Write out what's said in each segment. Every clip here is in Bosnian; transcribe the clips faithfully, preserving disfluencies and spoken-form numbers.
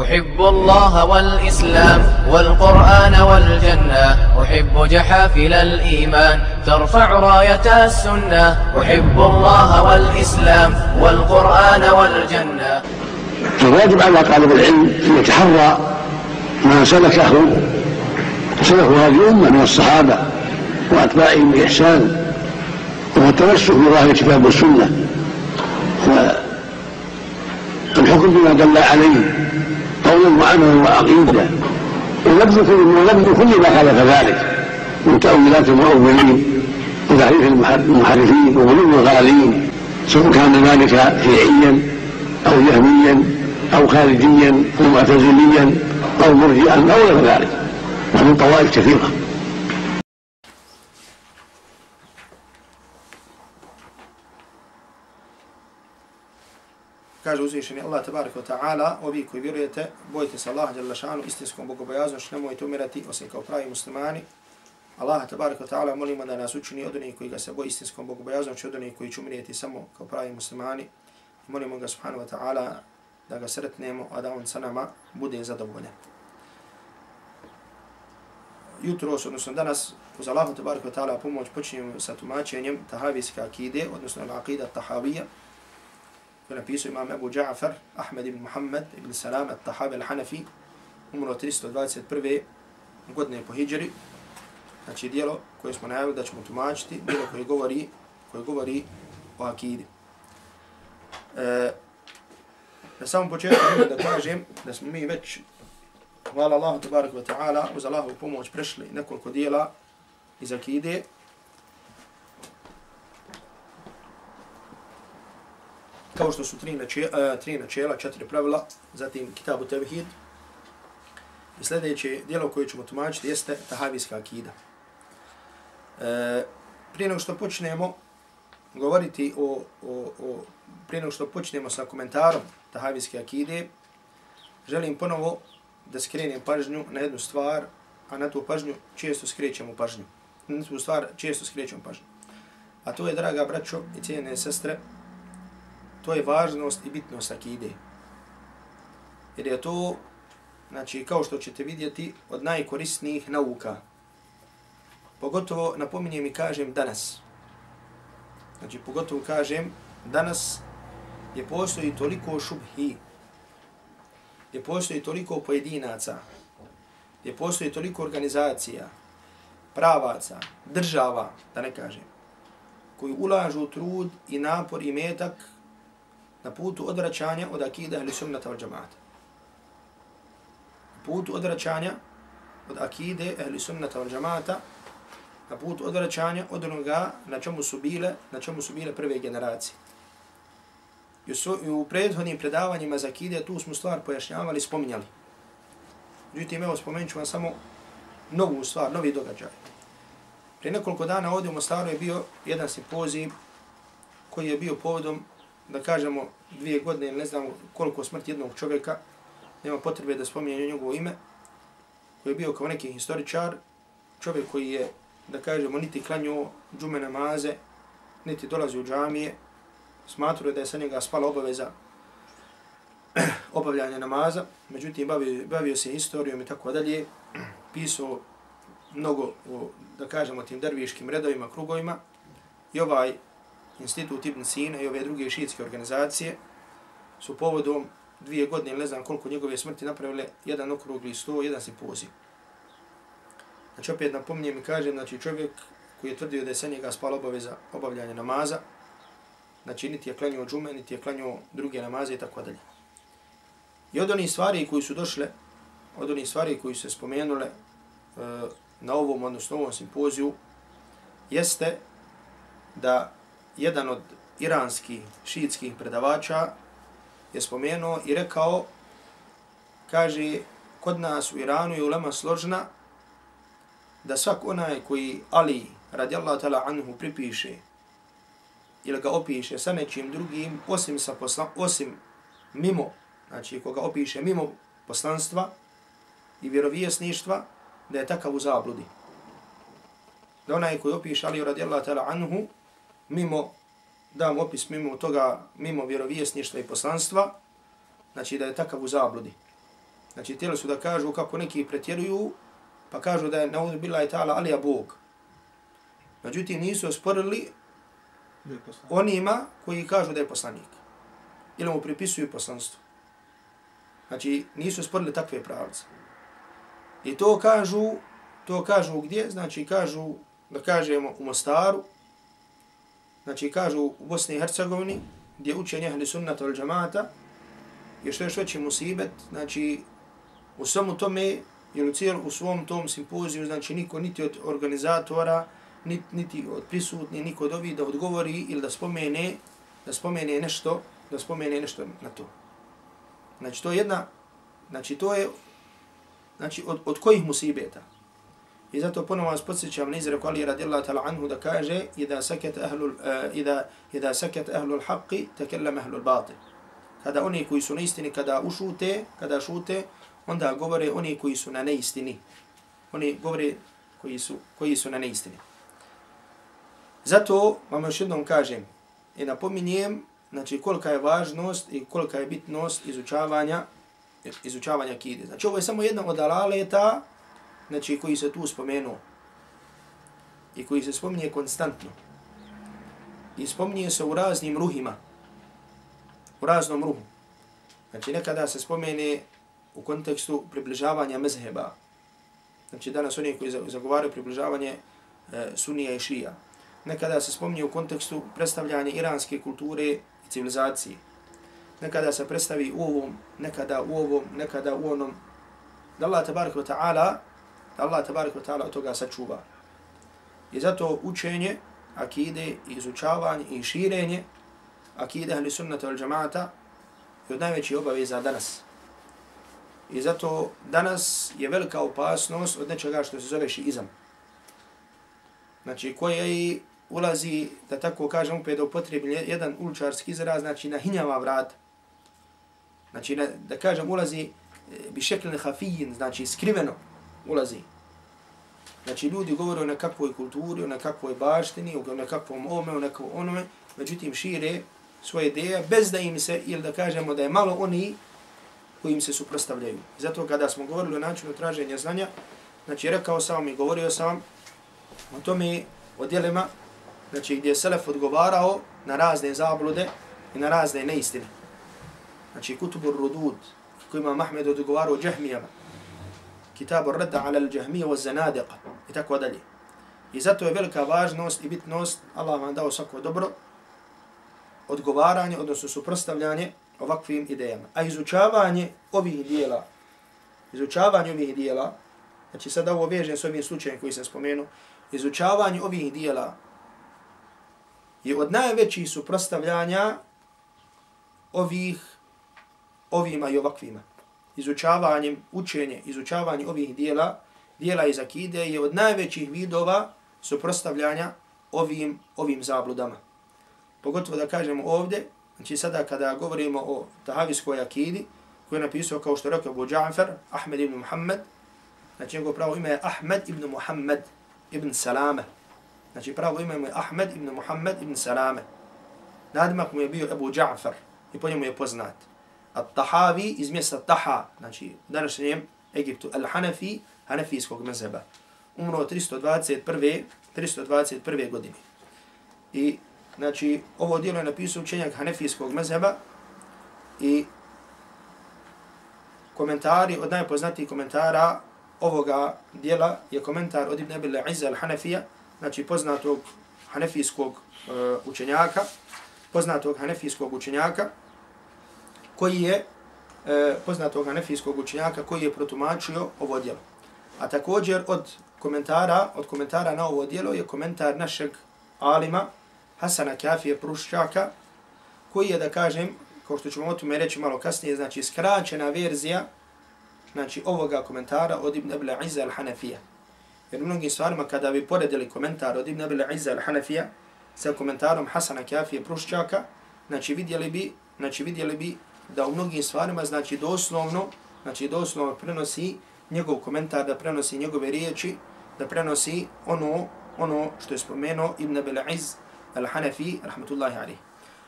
أحب الله والإسلام والقرآن والجنة أحب جحافل الإيمان ترفع راية السنة أحب الله والإسلام والقرآن والجنة. فالواجب على طالب العلم أن يتحرى ما سلكه سلك هذه الأمة من الصحابة وأتباعهم بإحسان والتمسك بظاهر الكتاب والسنة والحكم بما دل عليه قولا وعملا وعقيدة ونبذ كل ما خالف ذلك من تأويلات المؤولين وتحريف المحرفين وغلو الغالين سواء كان ذلك شيعيا أو جهميا أو خارجيا أو معتزليا أو مرجئا أو غير ذلك ومن طوائف كثيرة. Kaže uzvišeni Allah tabaraka wa ta'ala, ovi koji vjerujete, bojite se Allaha dželle šanu istinskom bogobojaznošću, nemojte umirati osim kao pravi muslimani. Allah tabaraka wa ta'ala molimo da nas učini od onih koji ga se boje istinskom bogobojaznošću, od onih koji će umirati samo kao pravi muslimani. Molimo ga subhanahu wa ta'ala da ga sretnemo, a da on sa nama bude zadovoljan. Jutro, odnosno danas, uz Allahu tabaraka wa ta'ala pomoć počinjemo sa tumačenjem tahavijske akide, odnosno al-aqida tahavija, koji napisao imam Ebu Ja'far, Ahmed ibn Muhammad ibn Salam al-Tahavi al-Hanafi, umro tristo dvadeset prve godine po hidžri. Znači dijelo koje smo najavili da ćemo tumačiti, dijelo koje govori, koje govori o akidi. E, na samom početku da kažem da smo mi već, hvala Allahu tabaraka wa ta'ala, uz Allahovu pomoć prešli nekoliko dijela iz akide. Kao što su tri načela, tri načela, četiri pravila, zatim Kitabu Tevhid. I sljedeće dijelo koje ćemo tumačiti jeste tahavijska akida. E, prije nego što počnemo govoriti o, o, o, prije nego što počnemo sa komentarom tahavijske akide, želim ponovo da skrenem pažnju na jednu stvar, a na tu pažnju često skrećemo pažnju. Na tu stvar često skrećemo pažnju. A to je, draga braćo i cijene sestre, to je važnost i bitnost akide. Jer je to, znači, kao što ćete vidjeti, od najkorisnijih nauka. Pogotovo napominjem i kažem danas. Znači, pogotovo kažem danas je postoji toliko šubhi, je postoji toliko pojedinaca, je postoji toliko organizacija, pravaca, država, da ne kažem, koji ulažu trud i napor i metak na putu odvraćanja od akida ahli sunnata wal džamaata. Na putu odvraćanja od akide ahli sunnata wal džamaata, na putu odvraćanja od onoga na čemu su bile, na čemu su bile prve generacije. I u, i u prethodnim predavanjima za akide tu smo stvar pojašnjavali, spominjali. Međutim, evo spomenut ću vam samo novu stvar, novi događaj. Prije nekoliko dana ovdje u Mostaru je bio jedan simpozij koji je bio povodom, da kažemo, dvije godine, ne znam koliko smrti jednog čovjeka, nema potrebe da spominjem njegovo ime, koji je bio kao neki historičar, čovjek koji je, da kažemo, niti klanio džume namaze, niti dolazi u džamije, smatruje da je sa njega spala obaveza obavljanja namaza, međutim bavio, bavio se historijom i tako dalje, pisao mnogo o, da kažemo, tim derviškim redovima, krugovima, i ovaj Institut Ibn Sina i ove druge šiitske organizacije su povodom dvije godine, ne znam koliko njegove smrti, napravile jedan okrugli sto, jedan simpozij. Znači opet napominjem i kažem, znači čovjek koji je tvrdio da je sa njega spala obaveza obavljanja namaza, znači niti je klanio džume, niti je klanio druge namaze i tako dalje. I od onih stvari koji su došle, od onih stvari koji su se spomenule uh, na ovom, odnosno ovom simpoziju, jeste da jedan od iranskih šiitskih predavača je spomenuo i rekao, kaže, kod nas u Iranu je ulema složna da svak onaj koji Ali radijallahu ta'ala anhu pripiše ili ga opiše sa nečim drugim, osim, sa posla, osim mimo, znači koga opiše mimo poslanstva i vjerovjesništva, da je takav u zabludi. Da onaj koji opiše Ali radijallahu ta'ala anhu, mimo, dam opis mimo toga, mimo vjerovjesništva i poslanstva, znači da je takav u zabludi. Znači, htjeli su da kažu kako neki pretjeruju, pa kažu da je naudhu billahi ta'ala Alija Bog. Međutim, nisu osporili onima koji kažu da je poslanik. Ili mu pripisuju poslanstvo. Znači, nisu osporili takve pravce. I to kažu, to kažu gdje? Znači, kažu, da kažemo, u Mostaru, znači, kažu u Bosni i Hercegovini, gdje učenje ahli sunnata wal džamata, je što još veći musibet, znači, u svemu tome, jer u, cijel, u svom tom simpoziju, znači, niko niti od organizatora, niti, niti od prisutni, niko od ovih da odgovori ili da spomene, da spomene nešto, da spomene nešto na to. Znači, to je jedna, znači, to je, znači, od, od kojih musibeta? I zato ponovno vas podsjećam na izreku Ali radijallahu ta'ala anhu da kaže Ida saket ahlul, uh, ida, ida saket ahlul haqqi, takellam ahlul batil. Kada oni koji su na istini, kada ušute, kada šute, onda govore oni koji su na neistini. Oni govore koji su, koji su na neistini. Zato vam još jednom kažem i napominjem, znači, kolika je važnost i kolika je bitnost izučavanja, izučavanja akide. Znači, ovo je samo jedna od alaleta, znači, koji se tu spomenuo i koji se spominje konstantno. I spominje se u raznim ruhima, u raznom ruhu. Znači, nekada se spomene u kontekstu približavanja mezheba. Znači, danas oni koji zagovaraju približavanje e, Sunnija i Šija. Nekada se spominje u kontekstu predstavljanja iranske kulture i civilizacije. Nekada se predstavi u ovom, nekada u ovom, nekada u onom. Da Allah tabaraka wa ta'ala, da Allah tabaraka wa ta'ala od toga sačuva. I zato učenje akide, izučavanje i širenje akide ahli sunnata wal džamata je od najvećih obaveza danas. I zato danas je velika opasnost od nečega što se zove šiizam. Znači, koje ulazi, da tako kažem, opet da upotrebi jedan uličarski izraz, znači na hinjava vrata. Znači, na, da kažem, ulazi bi šeklene hafijin, znači skriveno ulazi. Znači, ljudi govore o nekakvoj kulturi, o nekakvoj baštini, o nekakvom ome, o nekakvom onome, međutim šire svoje ideje, bez da im se, ili da kažemo da je malo oni koji im se suprostavljaju. Zato kada smo govorili o načinu traženja znanja, znači rekao sam i govorio sam o tome, o djelima, znači gdje je Selef odgovarao na razne zablude i na razne neistine. Znači Kutubur Rudud, koji ima Mahmed odgovarao o džahmijama, Kitabur Radda ala al-Jahmija wa Zanadiqa i tako dalje. I zato je velika važnost i bitnost, Allah vam dao svako dobro, odgovaranje, odnosno suprostavljanje ovakvim idejama. A izučavanje ovih dijela, izučavanje ovih dijela, znači sada ovo vežem s ovim slučajem koji sam spomenuo, izučavanje ovih dijela je od najvećih suprostavljanja ovih, ovima i ovakvima. Izučavanjem, učenje, izučavanje ovih dijela, dijela iz akide je od najvećih vidova suprostavljanja ovim, ovim zabludama. Pogotovo da kažemo ovdje, znači sada kada govorimo o tahavijskoj akidi, koju je napisao kao što rekao Abu Ja'far, Ahmed ibn Muhammad, znači njegov pravo ime je Ahmed ibn Muhammad ibn Salame. Znači pravo ime je Ahmed ibn Muhammad ibn Salame. Nadimak mu je bio Abu Ja'far i po njemu je poznat. At-Tahavi iz mjesta Taha, znači u današnjem Egiptu, Al-Hanafi, hanefijskog mezheba. Umro tristo dvadeset prve. tristo dvadeset prve godine. I znači ovo djelo je napisao učenjak hanefijskog mezheba i komentari, od najpoznatijih komentara ovoga djela je komentar od Ibn Abil Izza al-Hanafija, znači poznatog hanefijskog uh, učenjaka, poznatog hanefijskog učenjaka, koji je uh, poznatog hanefijskog učenjaka koji je protumačio ovo djelo. A također od komentara, od komentara na ovo djelo je komentar našeg alima Hasana Kafije Pruščaka, koji je, da kažem, kao što ćemo o tome reći malo kasnije, znači skraćena verzija znači ovoga komentara od Ibn Abil Izza al-Hanafija. Jer mnogim stvarima kada bi poredili komentar od Ibn Abil Izza al-Hanafija sa komentarom Hasana Kafije Pruščaka, znači vidjeli bi, znači vidjeli bi da u mnogim stvarima znači doslovno, znači doslovno prenosi njegov komentar, da prenosi njegove riječi, da prenosi ono, ono što je spomenuo Ibn Abil Izza al-Hanafi, rahmetullahi alaihi.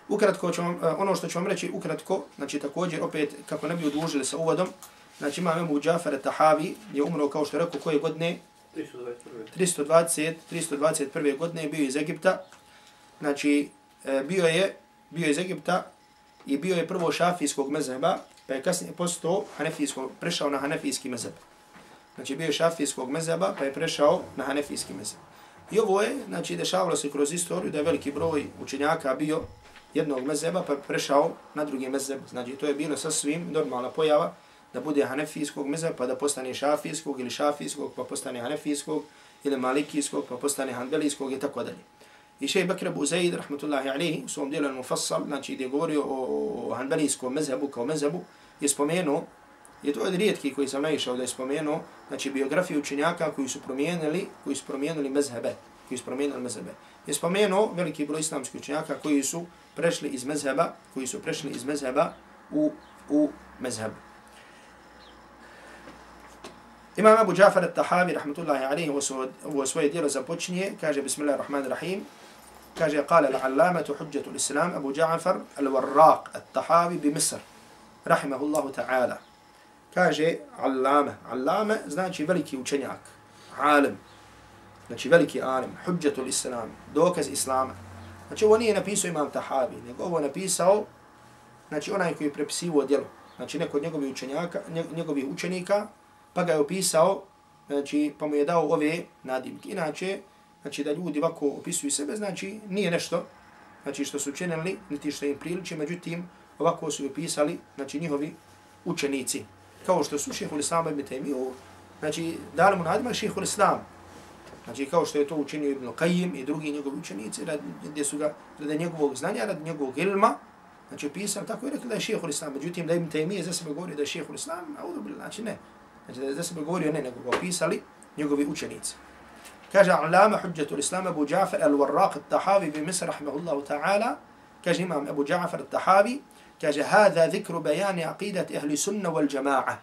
Ukratko ću vam, ono što ću vam reći ukratko, znači također opet kako ne bi odužili sa uvodom, znači imam Ebu Džafer Tahavi je umro, kao što rekao, koje godine? tristo dvadeset, tristo dvadeset prve godine, bio iz Egipta. Znači, bio je, bio iz Egipta i bio je prvo šafijskog mezheba, pa je kasnije postao hanefijskog, prešao na hanefijski mezheb. Znači, bio je šafijskog mezheba, pa je prešao na hanefijski mezheb. I ovo je, znači, dešavalo se kroz istoriju da je veliki broj učenjaka bio jednog mezheba, pa je prešao na drugi mezheb. Znači, to je bilo sasvim normalna pojava da bude hanefijskog mezheba, pa da postane šafijskog, ili šafijskog, pa postane hanefijskog, ili malikijskog, pa postane hanbelijskog i tako dalje. I šejh Bekr Ebu Zaid, rahmatullahi alihi, u svom dijelu Al-Mufassal, znači gdje je govorio o hanbelijskom mezhebu kao mezhebu, je spomenuo, je to od rijetki koji sam naišao da je spomenuo, znači biografiju učenjaka koji su promijenili, koji su promijenili mezhebe, koji su promijenili mezhebe. Je spomenuo veliki broj islamskih učenjaka koji su prešli iz mezheba, koji su prešli iz mezheba u, u mezheb. Imam Abu Džafer At-Tahavi, rahmatullahi alihi, ovo svoje dijelo započinje, kaže Bismillahirrahmanirrahim, kaže قال العلامة حجة الإسلام أبو جعفر الوراق الطحاوي بمصر رحمه الله تعالى. Kaže allama, allama znači veliki učenjak, alim, znači veliki alim, hudžetul islam, dokaz islama. Znači ovo nije napisao imam Tahavi, nego ovo napisao, znači onaj koji je prepisivo djelo, znači neko od njegovih učenjaka, njegovih učenika, pa ga je opisao, znači pa mu je dao ove nadimke. Inače, znači da ljudi ovako opisuju sebe, znači nije nešto, znači što su učinili, niti što im priliči, međutim ovako su opisali, znači njihovi učenici. Kao što su šejhul Islam ibn Taymiju, znači dali mu nadimak šejhul Islam. Znači kao što je to učinio Ibn Qayyim i drugi njegovi učenici, gdje su ga radi njegovog znanja, radi njegovog ilma, znači pisali tako i rekli da je šejhul Islam. Međutim da Ibn Taymije za sebe govori da je šejhul Islam, a znači ne. Znači da je za sebe govorio ne, nego ga opisali njegovi učenici. Kaže Allama Hudžetul Islam Abu Džafer al-Warraq al-Tahavi bi Misr rahimahullahu ta'ala, kaže imam Abu Džafer al-Tahavi, kaže hada zikru bejani aqidati ahli sunna wal jama'a.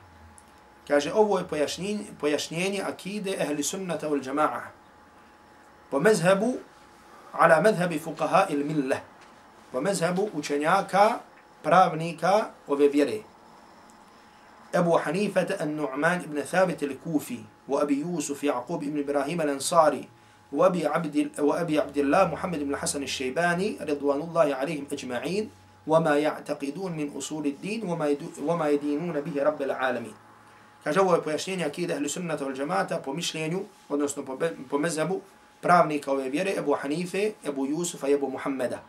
Kaže ovo je pojašnjenje, pojašnjenje akide ahli sunnata wal jama'a. Po mezhebu, ala mezhebi fuqaha il millah. Po mezhebu učenjaka, pravnika ove vjere. أبو حنيفة النعمان بن ثابت الكوفي وأبي يوسف يعقوب بن إبراهيم الأنصاري وأبي عبد وأبي عبد الله محمد بن الحسن الشيباني رضوان الله عليهم أجمعين وما يعتقدون من أصول الدين وما وما يدينون به رب العالمين. كجواب pojašnjenje akide ahli sunnata wal jamaata po mišljenju, odnosno po, po mezhebu pravnika ove vjere Ebu Hanife, Ebu Jusufa i Ebu Muhammeda.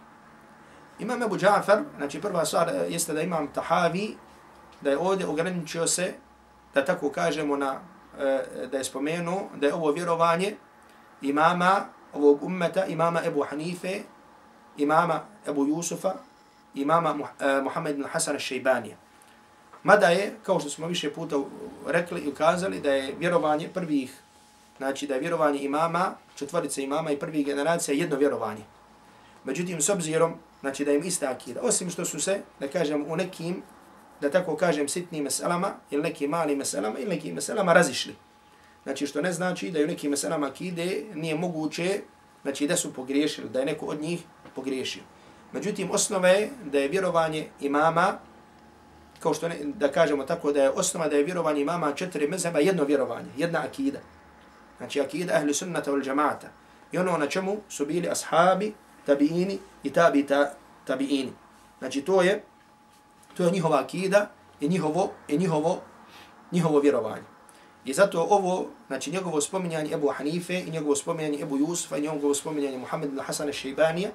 Imam Ebu Džafer, znači prva stvar jeste da imam Tahavi, da je ovdje ograničio se, da tako kažemo, na, da je spomenuo da je ovo vjerovanje imama ovog ummeta, imama Ebu Hanife, imama Ebu Jusufa, imama Muhammed ibn Hasan al-Šejbanija. Mada je, kao što smo više puta rekli i ukazali, da je vjerovanje prvih, znači da je vjerovanje imama, četvorice imama i prvih generacija jedno vjerovanje. Međutim, s obzirom, znači da im ista akida, osim što su se, da kažem, u nekim, da tako kažem, sitnim meselama, ili nekim malim meselama, ili nekim meselama razišli. Znači, što ne znači da je u nekim meselama akide nije moguće, znači da su pogriješili, da je neko od njih pogriješio. Međutim, osnova je da je vjerovanje imama, kao što ne, da kažemo tako, da je osnova da je vjerovanje imama četiri mezheba jedno vjerovanje, jedna akida. Znači, akida ahli sunnata wal jamaata. I ono na čemu su bili ashabi, tabiini i tabi ta, tabiini. Znači, to je To je njihova akida i njihovo, i njihovo, njihovo vjerovanje. I zato ovo, znači njegovo spominjanje Ebu Hanife i njegovo spominjanje Ebu Jusufa i njegovo spominjanje Muhammed ibn Hasan al-Šejbanija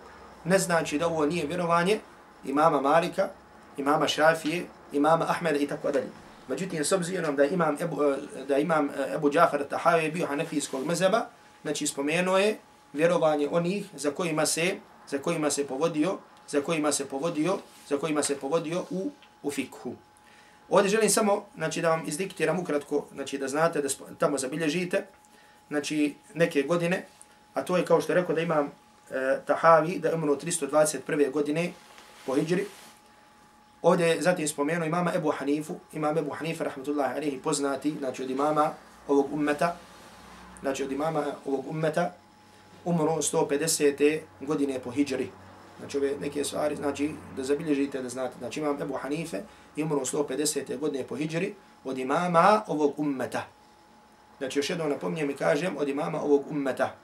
ne znači da ovo nije vjerovanje imama Malika, imama Šafije, imama Ahmeda i tako dalje. Međutim, s obzirom da imam Ebu, da imam Ebu Džafer Tahavi bio hanefijskog mezheba, znači spomenuo je vjerovanje onih za kojima se, za kojima se povodio, za kojima se povodio, za kojima se povodio u, u fikhu. Ovdje želim samo, znači, da vam izdiktiram ukratko, znači, da znate, da tamo zabilježite, znači, neke godine, a to je kao što je rekao da imam e, Tahavi, da je umro tristo dvadeset prve godine po hidžri. Ovdje je zatim spomenuo imama Ebu Hanifu, imam Ebu Hanife, rahmatullahi alihi, poznati, znači, od imama ovog ummeta, znači, od imama ovog ummeta, umro sto pedesete godine po hidžri. Znači ove neke stvari, znači da zabilježite, da znate. Znači imam Ebu Hanife i umro sto pedesete godine po hidžri, od imama ovog ummeta. Znači, još jednom napominjem i kažem, od imama ovog ummeta.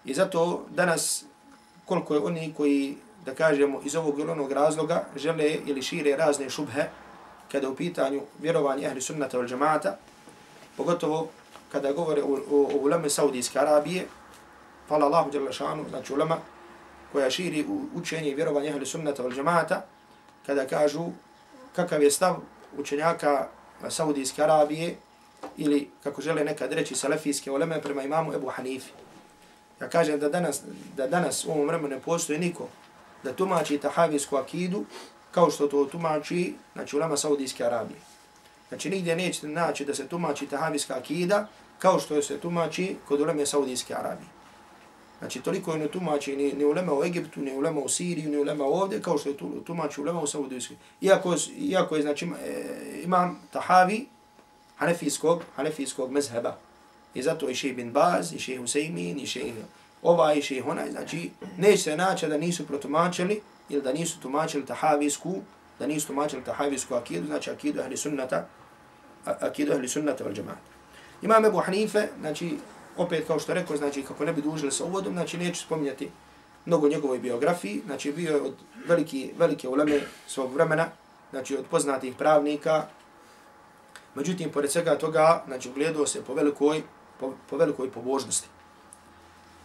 I zato danas, koliko je oni koji, da kažemo, iz ovog ili onog razloga žele ili šire razne šubhe kada u pitanju vjerovanja ehli sunnata wal džamaata, pogotovo kada govore o, o, o uleme Saudijske Arabije, hvala Allahu dželle šanu, znači ulema koja širi učenje i vjerovanje ehli sunnata wal džamaata, kada kažu kakav je stav učenjaka Saudijske Arabije ili, kako žele nekad reći, salafijske uleme prema imamu Ebu Hanifi. Ja kažem da danas, da danas u ovom vremenu ne postoji niko da tumači tahavijsku akidu kao što to tumači, znači, ulema Saudijske Arabije. Znači, nigdje nećete naći da se tumači tahavijska akida kao što se tumači kod uleme Saudijske Arabije. Znači, toliko je ne tumači ni, ni ulema u Egiptu, ni ulema u Siriju, ni ulema ovdje, kao što je tumači ulema u Saudijskoj. Iako, iako je, znači, imam tahavi hanefijskog, hanefijskog mezheba. I zato i šejh bin Baz, i šejh Husaymin, i šejh ovaj, i šejh onaj. Znači, neće se naći da nisu protumačili ili da nisu tumačili tahavijsku, da nisu tumačili tahavijsku akidu, znači akidu ahli sunnata, akidu ahli sunnata wal džamaata. Imam Ebu Hanife, znači, opet kao što rekao, znači, kako ne bi dužili sa uvodom, znači, neću spominjati mnogo njegovoj biografiji, znači, bio je od veliki, velike uleme svog vremena, znači, od poznatih pravnika. Međutim, pored svega toga, znači, ugledao se po velikoj, po, po velikoj pobožnosti.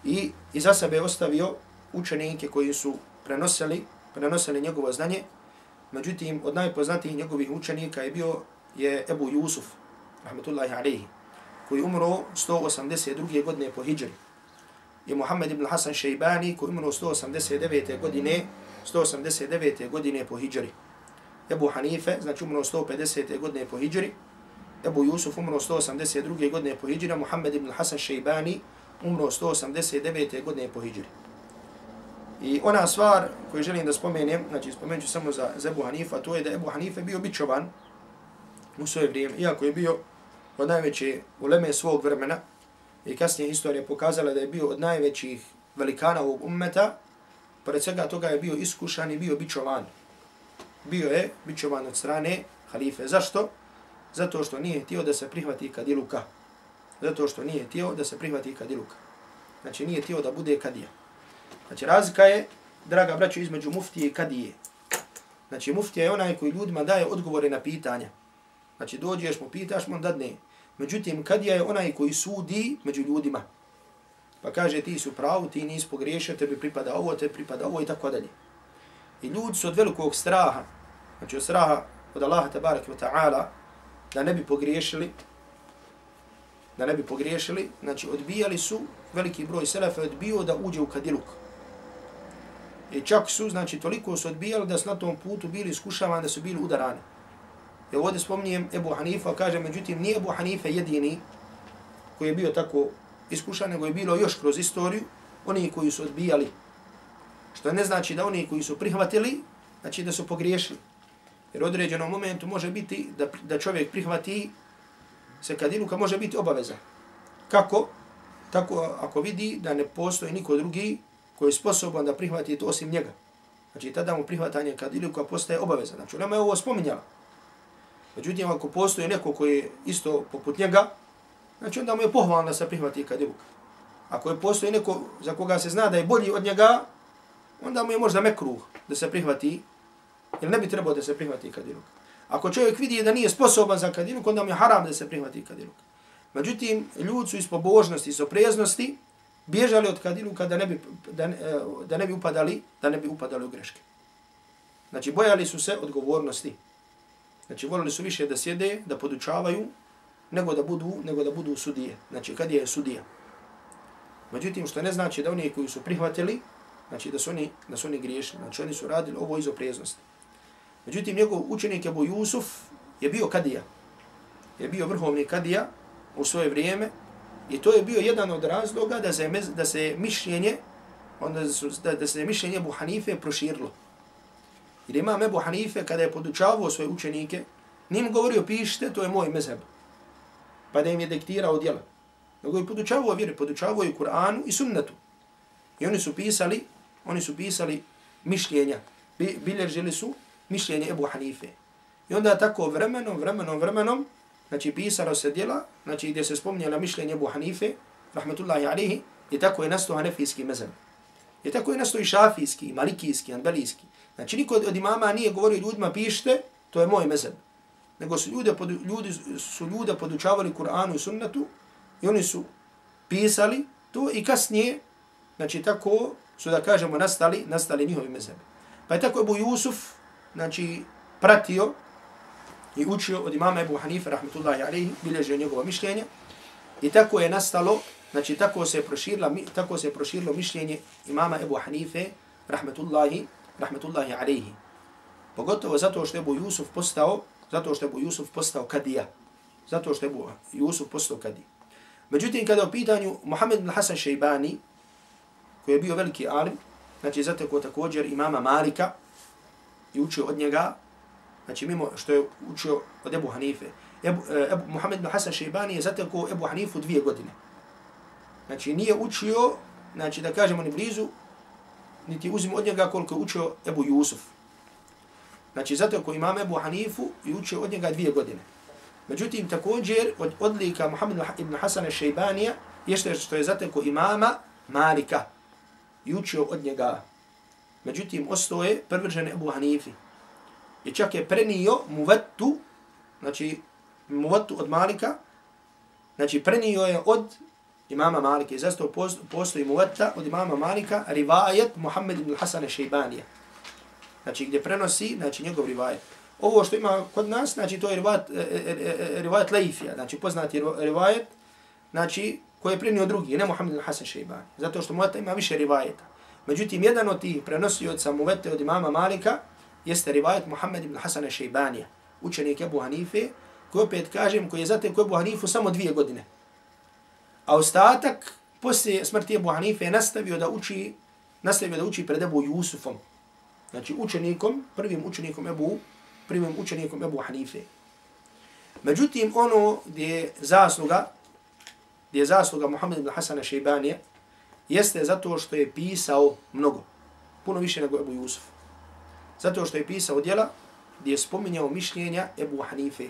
I, i za sebe ostavio učenike koji su prenosili, prenosili njegovo znanje. Međutim, od najpoznatijih njegovih učenika je bio je Ebu Jusuf, rahmetullahi alejhi, koji umro sto osamdeset druge godine po hidžri. I Muhammed ibn Hasan Šejbani, koji umro sto osamdeset devete godine, sto osamdeset devete godine po hidžri. Ebu Hanife, znači, umro sto pedesete godine po hidžri. Ebu Jusuf umro sto osamdeset druge godine po hidžri. Muhammed ibn Hasan Šejbani umro sto osamdeset devete godine po hidžri. I ona stvar koju želim da spomenem, znači spomenut ću samo za, za Ebu Hanifa, to je da Ebu Hanife bio bičovan u svoje vrijeme, iako je bio od najveće uleme svog vremena i kasnije historija pokazala da je bio od najvećih velikana ovog ummeta, pored svega toga je bio iskušan i bio bičovan. Bio je bičovan od strane halife. Zašto? Zato što nije htio da se prihvati kadiluka. Zato što nije htio da se prihvati kadiluka. Znači, nije htio da bude kadija. Znači, razlika je, draga braćo, između muftije i kadije. Znači, muftija je onaj koji ljudima daje odgovore na pitanja. Znači, dođeš mu, pitaš mu, on dadne. Međutim, kadija je onaj koji sudi među ljudima. Pa kaže, ti su pravu, ti nisi pogriješio, tebi pripada ovo, tebi pripada ovo i tako dalje. I ljudi su od velikog straha, znači od straha od Allaha tabaraka wa ta'ala, da ne bi pogriješili, da ne bi pogriješili, znači odbijali su, veliki broj selefa odbio da uđe u kadiluk. I čak su, znači toliko su odbijali da su na tom putu bili iskušavani, da su bili udarani. I ovdje spominjem Ebu Hanifa, kaže, međutim, nije Ebu Hanife jedini koji je bio tako iskušan, nego je bilo još kroz istoriju oni koji su odbijali. Što ne znači da oni koji su prihvatili, znači da su pogriješili. Jer u određenom momentu može biti da, da čovjek prihvati se kadiluka, može biti obaveza. Kako? Tako ako vidi da ne postoji niko drugi koji je sposoban da prihvati to osim njega. Znači tada mu prihvatanje kadiluka postaje obaveza. Znači nama je ovo spominjala. Međutim, ako postoji neko koji je isto poput njega, znači onda mu je pohvalno da se prihvati kadiluka. Ako je postoji neko za koga se zna da je bolji od njega, onda mu je možda mekruh da se prihvati, jer ne bi trebao da se prihvati kadiluk. Ako čovjek vidi da nije sposoban za kadiluk, onda mu je haram da se prihvati kadiluk. Međutim, ljudi su iz pobožnosti, iz opreznosti, bježali od kadiluka da ne bi, da, da ne bi upadali, da ne bi upadali u greške. Znači, bojali su se odgovornosti. Znači, volili su više da sjede, da podučavaju, nego da budu, nego da budu sudije. Znači, kad je sudija. Međutim, što ne znači da oni koji su prihvatili, znači da su oni, da su oni griješni, znači oni su radili ovo iz opreznosti. Međutim, njegov učenik Ebu Jusuf je bio kadija. Je bio vrhovni kadija u svoje vrijeme i to je bio jedan od razloga da se, da se mišljenje, onda su, da, da se mišljenje Ebu Hanife proširilo. Jer imam Ebu Hanife kada je podučavao svoje učenike, nije mu govorio pišite, to je moj mezheb. Pa da im je diktirao djela. Nego je podučavao vjeri, podučavao i Kur'anu i sunnetu. I oni su pisali, oni su pisali mišljenja. Bilježili su mišljenje Ebu Hanife. I onda tako vremenom, vremenom, vremenom, znači pisalo se djela, znači gdje se spominjala mišljenje Ebu Hanife, rahmetullahi alihi, i tako je nastao hanefijski mezheb. I tako je nastao i šafijski, i malikijski, anbelijski. Znači niko od imama nije govorio ljudima pišite, to je moj mezheb. Nego su ljude, podu, ljudi su ljude podučavali Kur'anu i sunnetu i oni su pisali to i kasnije, znači tako su da kažemo nastali, nastali njihovi mezhebi. Pa je tako Ebu Jusuf, znači pratio i učio od imama Ebu Hanife, rahmetullahi alaihi, bilježio njegova mišljenja i tako je nastalo, znači tako se je proširilo, tako se je proširilo mišljenje imama Ebu Hanife, rahmetullahi, rahmetullahi alaihi. Pogotovo zato što je Ebu Jusuf postao, zato što je Ebu Jusuf postao kadija. Zato što je Ebu Jusuf postao kadija. Međutim, kada je u pitanju Muhammed ibn Hasan Šejbani, koji je bio veliki alim, znači zatekao također imama Malika i učio od njega, znači mimo što je učio od Ebu Hanife. Ebu, Ebu, Muhammed ibn Hasan Šejbani je zatekao Ebu Hanifu dvije godine. Znači nije učio, znači da kažemo ni blizu, niti uzimo od njega koliko je učio Ebu Jusuf. Znači zatekao imam Ebu Hanifu i učio od njega dvije godine. Međutim, također od odlika Muhammed ibn Hasana Šejbanija je što je zatekao imama Malika i učio od njega. Međutim, ostao je privržen Ebu Hanifi. I čak je prenio muvattu, znači muvattu od Malika, znači prenio je od imama Malika. I zastao postoji muvatta od imama Malika, rivajet Muhammed ibn Hasana Šejbanija. Znači gdje prenosi, znači njegov rivajet. Ovo što ima kod nas, znači to je rivajet, rivajet Leifija, znači poznati rivajet, znači koji je prenio drugi, ne Muhammed ibn Hasan Šejbani. Zato što muvatta ima više rivajeta. Međutim, jedan od tih prenosioca muvatte od imama Malika jeste rivajet Muhammed ibn Hasan Šejbanija, učenik Ebu Hanife, koji opet kažem, koji je zatekao Ebu Hanifu samo dvije godine. A ostatak, poslije smrti Ebu Hanife, nastavio da uči, nastavio da uči pred Ebu Jusufom. Znači učenikom, prvim učenikom Ebu, prvim učenikom Ebu Hanife. Međutim, ono gdje je zasluga, gdje je zasluga Muhammed ibn Hasana Šejbanija, jeste zato što je pisao mnogo, puno više nego Ebu Jusuf. Zato što je pisao djela gdje je spominjao mišljenja Ebu Hanife.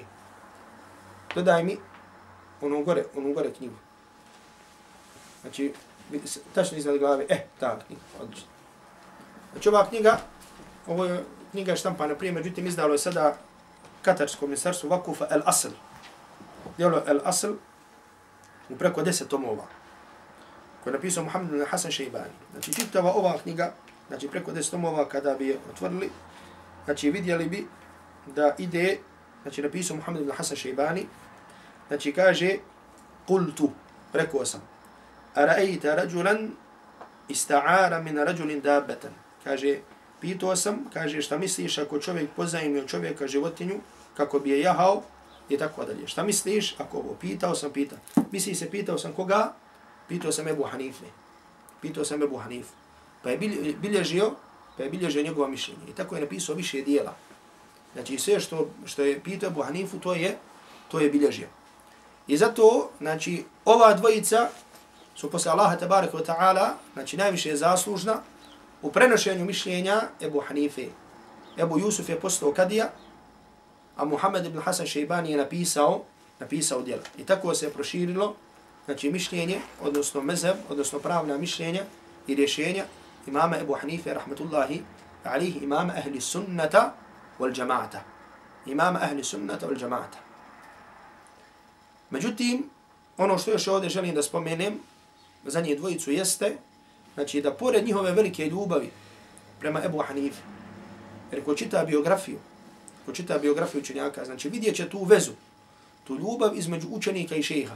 Dodaj mi ono gore, ono gore knjigu. Znači, tačno iznad glave, eh, ta knjiga, odlično. Znači ova knjiga, ovo je knjiga štampana prije, međutim izdalo je sada Katarsko ministarstvo Vakufa El Asl. Djelo El Asl u preko deset tomova, koje je napisao Muhammed ibn Hasan Šejbani. Znači čitava ova knjiga, znači preko deset tomova kada bi je otvorili, znači vidjeli bi da ide, znači napisao Muhammed ibn Hasan Šejbani, znači kaže, kultu, rekao sam, ara'ejta rađulan ista'ara min rađulin dabbatan. Kaže, pitao sam, kaže, šta misliš ako čovjek pozajmi od čovjeka životinju, kako bi je jahao, i tako dalje. Šta misliš ako ovo? Pitao sam, pitao. Misli se, pitao sam koga? Pitao sam Ebu Hanife. Pitao sam Ebu Hanife. Pa je bilježio, pa je bilježio njegova mišljenja. I tako je napisao više dijela. Znači sve što, što je pitao Ebu Hanifu, to je, to je bilježio. I zato, znači, ova dvojica su posle Allaha tabaraka wa ta'ala, znači najviše je zaslužna u prenošenju mišljenja Ebu Hanife. Ebu Jusuf je postao kadija, a Muhammed ibn Hasan Šejbani je napisao, napisao djela. I tako se je proširilo, znači mišljenje, odnosno mezheb, odnosno pravna mišljenja i rješenja imama Ebu Hanife, rahmetullahi alihi, imama ahli sunnata wal džamaata. Imama ahli sunnata wal džamaata. Međutim, ono što još ovdje želim da spomenem, za njih dvojicu jeste, znači da pored njihove velike ljubavi prema Ebu Hanife, jer ko čita biografiju, ko čita biografiju učenjaka, znači vidjet će tu vezu, tu ljubav između učenika i šeha.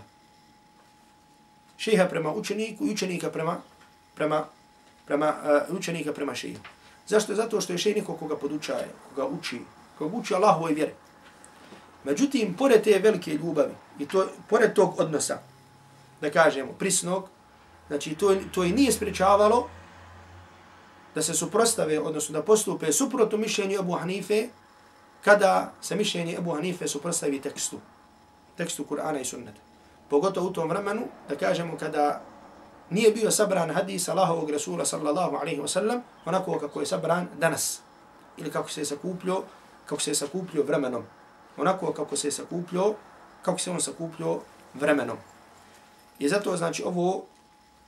Šeha prema učeniku i učenika prema, prema, prema uh, učenika prema šehu. Zašto? Zato što je šeh niko koga podučaje, koga uči, koga uči Allahovoj vjeri. Međutim, pored te velike ljubavi i to, pored tog odnosa, da kažemo, prisnog, znači to, to i nije sprečavalo da se suprostave, odnosno da postupe suprotno mišljenju Ebu Hanife, kada se mišljenje Ebu Hanife suprostavi tekstu, tekstu Kur'ana i sunneta. Pogotovo u tom vremenu, da kažemo, kada nije bio sabran hadis Allahovog Rasula sallallahu alaihi wa sallam, onako kako je sabran danas, ili kako se je sakupljio kako se je sakupljio vremenom. Onako kako se je sakupljio, kako se on sakupljio vremenom. I zato, znači, ovo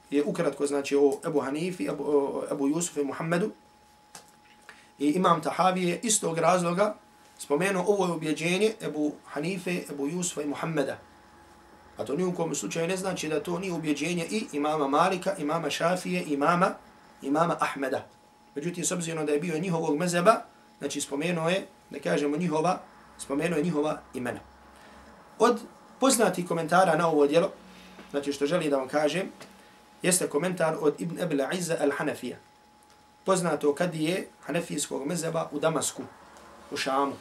je ukratko, znači, o Ebu Hanifi, Ebu, Ebu Jusufu i Muhammedu. I Imam Tahavi je istog razloga spomenuo ovo je ubjeđenje Ebu Hanife, Ebu Jusufa i Muhammeda. A to nijukom slučaju ne znači da to nije ubjeđenje i imama Malika, imama Šafije, imama, imama Ahmeda. Međutim, s obzirom da je bio njihovog mezeba, znači spomenuo je, da kažemo njihova, spomenuo je njihova imena. Od poznatih komentara na ovo djelo, znači što želi da vam kažem, jeste komentar od Ibn Abil Izza al-Hanafija. Poznato kad je hanefijskog mezeba u Damasku, u Šamu.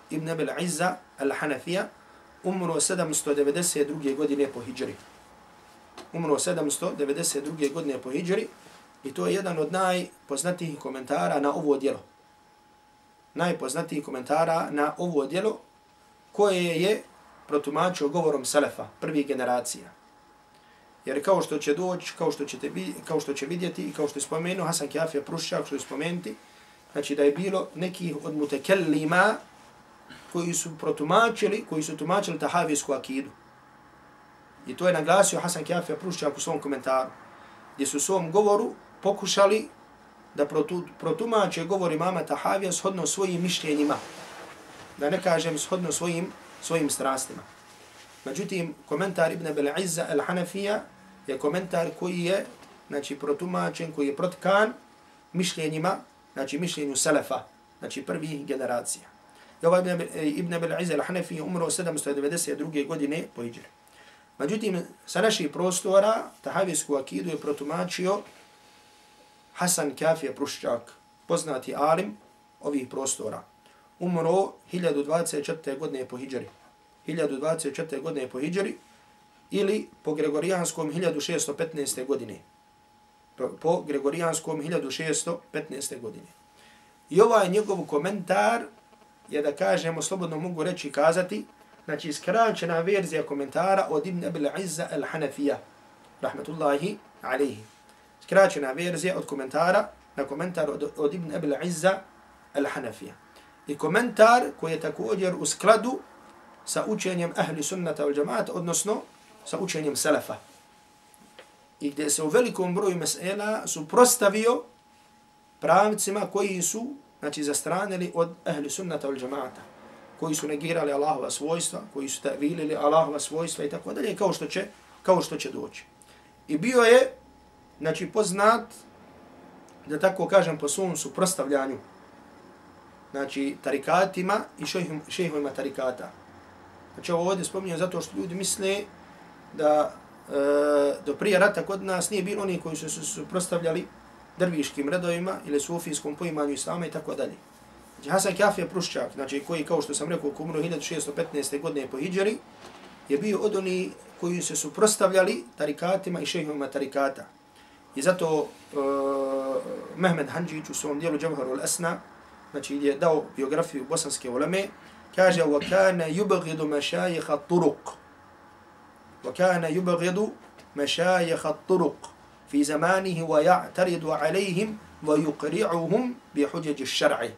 Ibn Abil Izza al-Hanafija umro sedamsto devedeset druge godine po hidžri. Umro sedamsto devedeset druge godine po hidžri i to je jedan od najpoznatijih komentara na ovo djelo. Najpoznatijih komentara na ovo djelo koje je protumačio govorom Selefa, prvih generacija. Jer kao što će doći, kao što ćete kao što će vidjeti i kao što je spomenuo Hasan Kjafija Pruščak, što je spomenuti, znači da je bilo nekih od mutekellima koji su protumačili, koji su tumačili tahavijsku akidu. I to je naglasio Hasan Kjafija Pruščak u svom komentaru, gdje su u svom govoru pokušali da protu, protumače govor imama Tahavija shodno svojim mišljenjima. Da ne kažem shodno svojim, svojim strastima. Međutim, komentar Ibn Abil Izza al-Hanafija je komentar koji je, znači, protumačen, koji je protkan mišljenjima, znači mišljenju Selefa, znači prvih generacija. I ovaj Ibn Abil Izza al-Hanafija umro sedamsto devedeset druge godine po hidžri. Međutim, sa naših prostora tahavijsku akidu je protumačio Hasan Kjafija Pruščak, poznati alim ovih prostora. Umro hiljadu dvadeset četvrte godine po hidžri. hiljadu dvadeset četvrte godine po hidžri ili po gregorijanskom hiljadu šesto petnaeste godine. Po, po gregorijanskom hiljadu šesto petnaeste godine. I ovaj njegov komentar je, da kažemo, slobodno mogu reći kazati, znači skraćena verzija komentara od Ibn Abil Izza al-Hanafija, rahmetullahi alaihi. Skraćena verzija od komentara na komentar od, od Ibn Abil Izza al-Hanafija. I komentar koji je također u skladu sa učenjem ahli sunnata wal džamaata, odnosno sa učenjem Selefa. I gdje se u velikom broju mesela suprostavio pravcima koji su, znači, zastranili od ahli sunnata wal džamaata, koji su negirali Allahova svojstva, koji su ta'vilili Allahova svojstva i tako dalje, kao što će, kao što će doći. I bio je, znači, poznat, da tako kažem, po svom suprostavljanju, znači, tarikatima i šejhovima tarikata. Znači, ovo ovdje spominjem zato što ljudi misle da e, do prije rata kod nas nije bilo oni koji su se suprostavljali drviškim redovima ili sufijskom poimanju islama i tako dalje. Znači, Hasan Kjafija Pruščak, znači, koji, kao što sam rekao, umro hiljadu šesto petnaeste godine po hidžri, je bio od oni koji se suprostavljali tarikatima i šejhovima tarikata. I zato uh, Mehmed Handžić u svom dijelu Džavharul Asna, znači, gdje je dao biografiju bosanske uleme, kaže: وَكَانَ يُبْغِدُ مَشَايِخَ الطُّرُقِ وَكَانَ يُبْغِدُ مَشَايِخَ الطُّرُقِ فِي زَمَانِهِ وَيَعْتَرِدُ عَلَيْهِمْ وَيُقْرِعُهُمْ بِحُجَجِ الشَّرْعِ.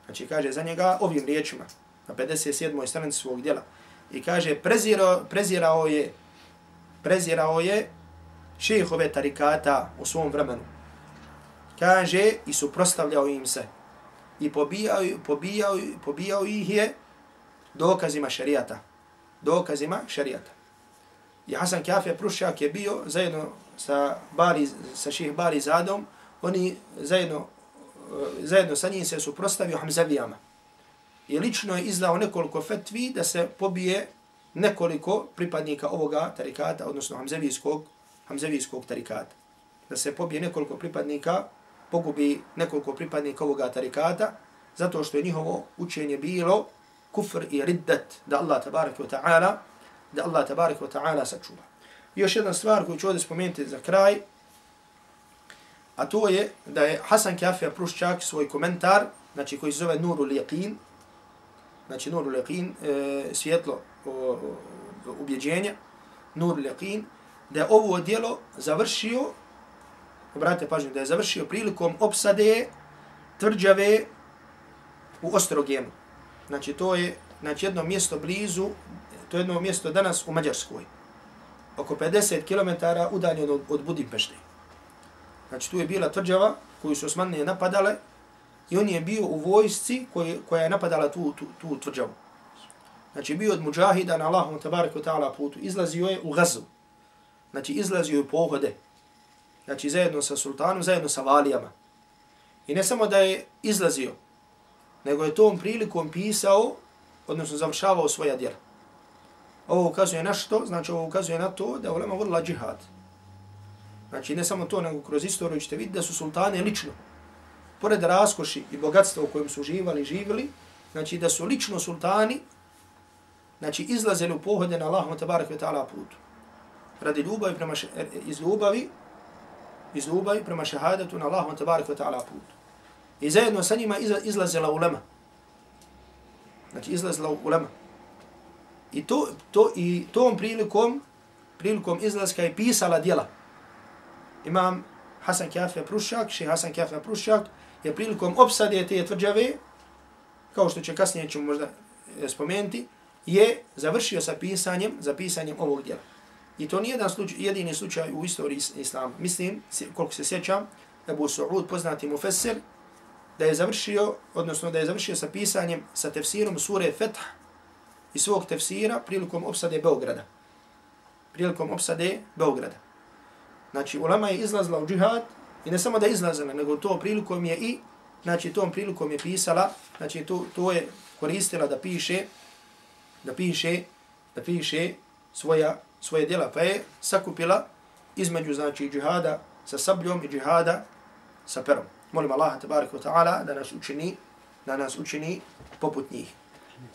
Znači, kaže za njega ovim riječima na pedeset sedmoj stranici svog djela. I kaže, prezirao, prezirao je prezirao je šejhove tarikata u svom vremenu. Kaže, i suprotstavljao im se. I pobijao, pobijao, pobijao ih je dokazima šerijata. Dokazima šerijata. I Hasan Kjafija Pruščak je bio zajedno sa, Bari, sa šejh Bari Zadom, oni zajedno, zajedno sa njim se suprotstavio Hamzavijama. I lično je izdao nekoliko fetvi da se pobije nekoliko pripadnika ovoga tarikata, odnosno Hamzavijskog, Hamzavijskog tarikata. Da se pobije nekoliko pripadnika, pogubi nekoliko pripadnika ovoga tarikata, zato što je njihovo učenje bilo kufr i riddat, da Allah tabarak wa ta'ala, da Allah tabarak wa ta'ala sačuva. I još jedna stvar koju ću ovdje spomenuti za kraj, a to je da je Hasan Kjafija Pruščak svoj komentar, znači koji se zove Nurul Yaqin, znači Nurul Yaqin, e, svjetlo o, o, ubjeđenja, Nurul Yaqin, da je ovo djelo završio, obratite pažnju, da je završio prilikom opsade tvrđave u Ostrogenu. Znači to je znači, jedno mjesto blizu, to je jedno mjesto danas u Mađarskoj. Oko pedeset kilometara udaljeno od, od Budimpešte. Znači tu je bila tvrđava koju su Osmanlije napadale i on je bio u vojsci koji, koja je napadala tu, tu, tu tvrđavu. Znači bio od muđahida na Allahom tabaraka ta'ala putu. Izlazio je u Gazu. Znači izlazio je u pohode. Znači zajedno sa sultanom, zajedno sa valijama. I ne samo da je izlazio, nego je tom prilikom pisao, odnosno završavao svoja djela. Ovo ukazuje na što? Znači ovo ukazuje na to da je ulema vodila džihad. Znači ne samo to, nego kroz istoriju ćete vidjeti da su sultane lično, pored raskoši i bogatstva u kojem su živali i živjeli, znači da su lično sultani znači izlazili u pohode na Allahom tabaraka wa ta'ala putu. Radi ljubavi prema še, iz ljubavi, iz ljubavi prema šehadetu na Allahom tabaraka wa ta'ala putu. I zajedno sa njima izlazila ulema. Znači izlazila ulema. I to, to i tom prilikom, prilikom izlaska je pisala djela. Imam Hasan Kafija Prušak, šejh Hasan Kafija Prušak, je prilikom opsade te tvrđave, kao što će kasnije ćemo možda spomenuti, je završio sa pisanjem, za pisanjem ovog djela. I to nije jedan slučaj, jedini slučaj u istoriji islama. Mislim, koliko se sjećam, Ebu Suud, poznati mufesir, da je završio, odnosno da je završio sa pisanjem, sa tefsirom sure Feth i svog tefsira prilikom opsade Beograda. Prilikom opsade Beograda. Znači, ulema je izlazila u džihad i ne samo da je izlazila, nego to prilikom je i, znači, tom prilikom je pisala, znači, to, to je koristila da piše, da piše, da piše svoja, svoje djela, pa je sakupila između, znači, džihada sa sabljom i džihada sa perom. Molim Allaha tabaraka wa ta'ala da nas učini, da nas učini poput njih.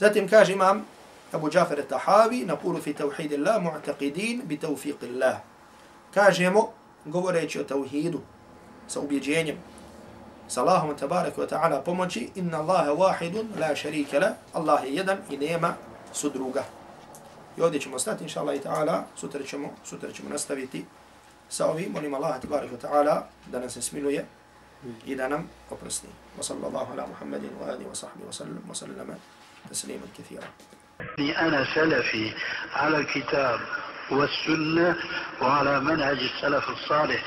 Zatim kaže imam Abu Džafer al-Tahavi, naqulu fi tawhidillah mu'taqidin bi tawfiqillah. Kažemo, govoreći o tauhidu, sa ubjeđenjem, sa Allahom tabaraka wa ta'ala pomoći, inna Allaha wahidun la sharika la, Allah je jedan i nema sudruga. I ovdje ćemo stati, inša Allah i ta'ala, sutra ćemo, sutra ćemo nastaviti sa ovim. Molim Allaha tabaraka wa ta'ala da nas se smiluje i da nam oprosti. Wa sallallahu ala Muhammedin wa alihi wa sahbihi wa sallam wa sallama tasliman kathira. أنا سلفي على الكتاب والسنة وعلى منهج السلف الصالح